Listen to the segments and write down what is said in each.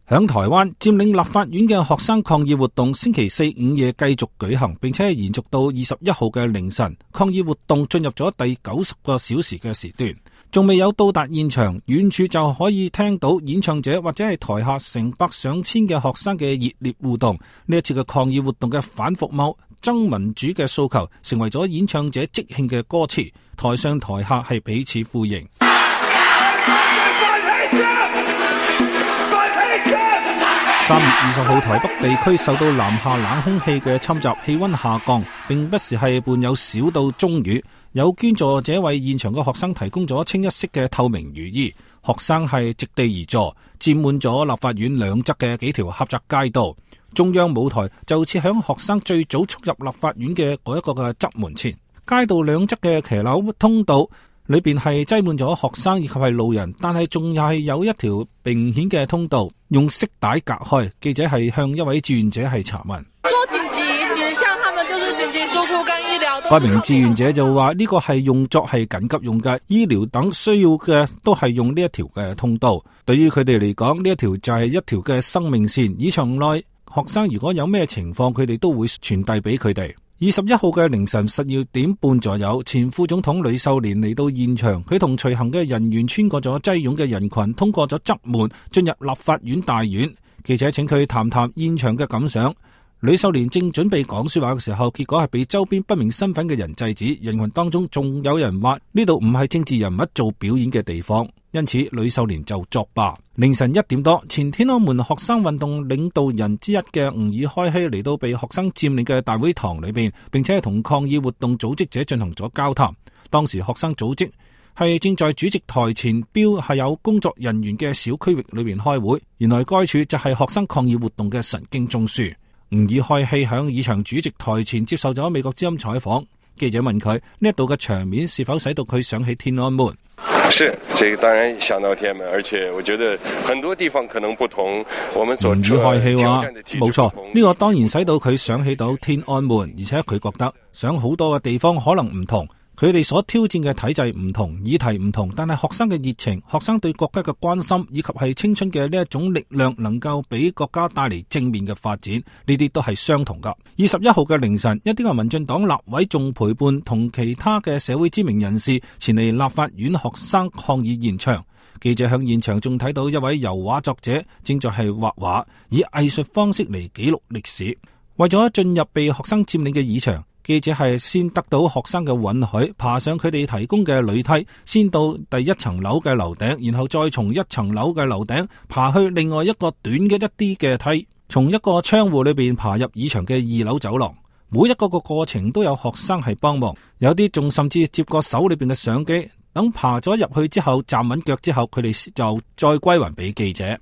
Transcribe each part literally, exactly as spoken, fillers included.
響台灣佔領立法院嘅學生抗議活動星期四午夜繼續舉行，並且延續到二十一號嘅凌晨。抗議活動進入咗第九十個小時嘅時段，仲未有到達現場，遠處就可以聽到演唱者或者係台下成百上千嘅學生嘅熱烈互動。呢一次嘅抗議活動嘅反服貿、爭民主嘅訴求，成為咗演唱者即興嘅歌詞，台上台下係彼此呼應。三月二十號，台北地區受到南下冷空氣嘅侵襲，氣溫下降，並不時係伴有小到中雨。有捐助者為現場嘅學生提供咗清一色嘅透明雨衣，學生係席地而坐，佔滿咗立法院兩側嘅幾條狹窄街道。中央舞台就設響學生最早衝入立法院嘅嗰一個嘅側門前，街道兩側嘅騎樓通道裏邊係擠滿咗學生以及係路人，但係仲係有一條明顯嘅通道用色帶隔開。記者係向一位志願者係查問，做緊急，緊像他們就是緊急輸出跟醫療。該名志願者就話呢個係用作係緊急用嘅，醫療等需要嘅都係用呢一條嘅通道。對於佢哋嚟講，呢一條就係一條嘅生命線。以場內學生如果有咩情況，佢哋都會傳遞俾佢哋。二十一號嘅凌晨十二點半左右，前副總統呂秀蓮嚟到現場，佢同隨行嘅人員穿過咗擠擁嘅人群，通過咗側門進入立法院大院。記者請佢談談現場嘅感想。呂秀蓮正準備講說話嘅時候，結果係被周邊不明身份嘅人制止。人群當中仲有人話呢度唔係政治人物做表演嘅地方，因此呂秀蓮就作罷。凌晨一點多，前天安門學生運動領導人之一嘅吾爾開希嚟到被學生佔領嘅大會堂裏邊，並且同抗議活動組織者進行咗交談。當時學生組織係正在主席台前標係有工作人員嘅小區域裏邊開會，原來該處就係學生抗議活動嘅神經中樞。吾爾開希響議場主席台前接受咗美國之音採訪，記者問佢呢一度嘅場面是否使到佢想起天安門。是，這個當然想到天安門，而且我覺得很多地方可能不同。我們所挑戰的體制不同。冇錯，呢個當然使到佢想起到天安門，而且佢覺得想好多嘅地方可能唔同。佢哋所挑戰嘅體制唔同，議題唔同，但係學生嘅熱情、學生對國家嘅關心以及係青春嘅呢一種力量，能夠俾國家帶嚟正面嘅發展，呢啲都係相同噶。二十一號嘅凌晨，一啲嘅民進黨立委仲陪伴同其他嘅社會知名人士前嚟立法院學生抗議現場。記者向現場仲睇到一位油畫作者正在係畫畫，以藝術方式嚟記錄歷史。為咗進入被學生佔領嘅議場，記者係先得到學生嘅允許，爬上佢哋提供嘅鋁梯，先到第一層樓嘅樓頂，然後再從一層樓嘅樓頂爬去另外一個短嘅一啲嘅梯，從一個窗戶裏邊爬入議場嘅二樓走廊。每一個個過程都有學生係幫忙，有啲仲甚至接過手裏邊嘅相機，等爬咗入去之後站穩腳之後，佢哋就再歸還俾記者。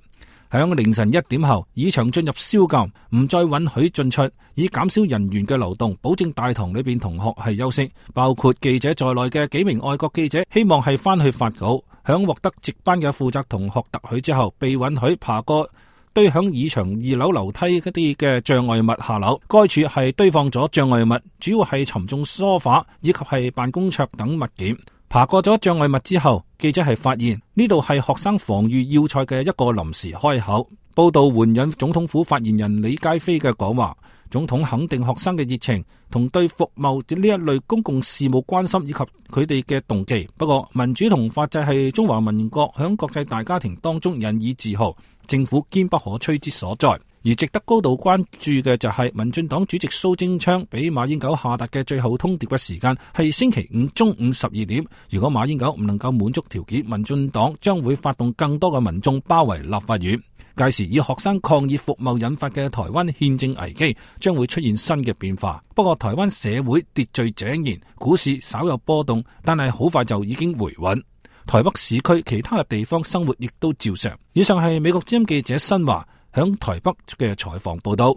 響凌晨一點後，議場進入宵禁，唔再允許進出，以減少人員嘅流動，保證大堂裏邊同學係休息。包括記者在內嘅幾名外國記者，希望係翻去發稿。響獲得值班嘅負責同學特許之後，被允許爬過堆響議場二樓樓梯嗰啲嘅障礙物下樓。該處係堆放咗障礙物，主要係沉重梳化以及係辦公桌等物件。爬過咗障礙物之後，記者係發現呢度係學生防禦要塞嘅一個臨時開口。報道援引總統府發言人李佳飛嘅講話，總統肯定學生嘅熱情同對服務呢一類公共事務關心以及佢哋嘅動機。不過民主同法制係中華民國響國際大家庭當中引以自豪，政府堅不可摧之所在。而值得高度關注嘅就係民進黨主席蘇貞昌俾馬英九下達嘅最後通牒嘅時間係星期五中午十二點。如果馬英九唔能夠滿足條件，民進黨將會發動更多嘅民眾包圍立法院。屆時以學生抗議服貿引發嘅台灣憲政危機將會出現新嘅變化。不過台灣社會秩序井然，股市稍有波動，但係好快就已經回穩。台北市區其他嘅地方生活亦都照常。以上係美國之音記者新華響台北嘅採訪報道。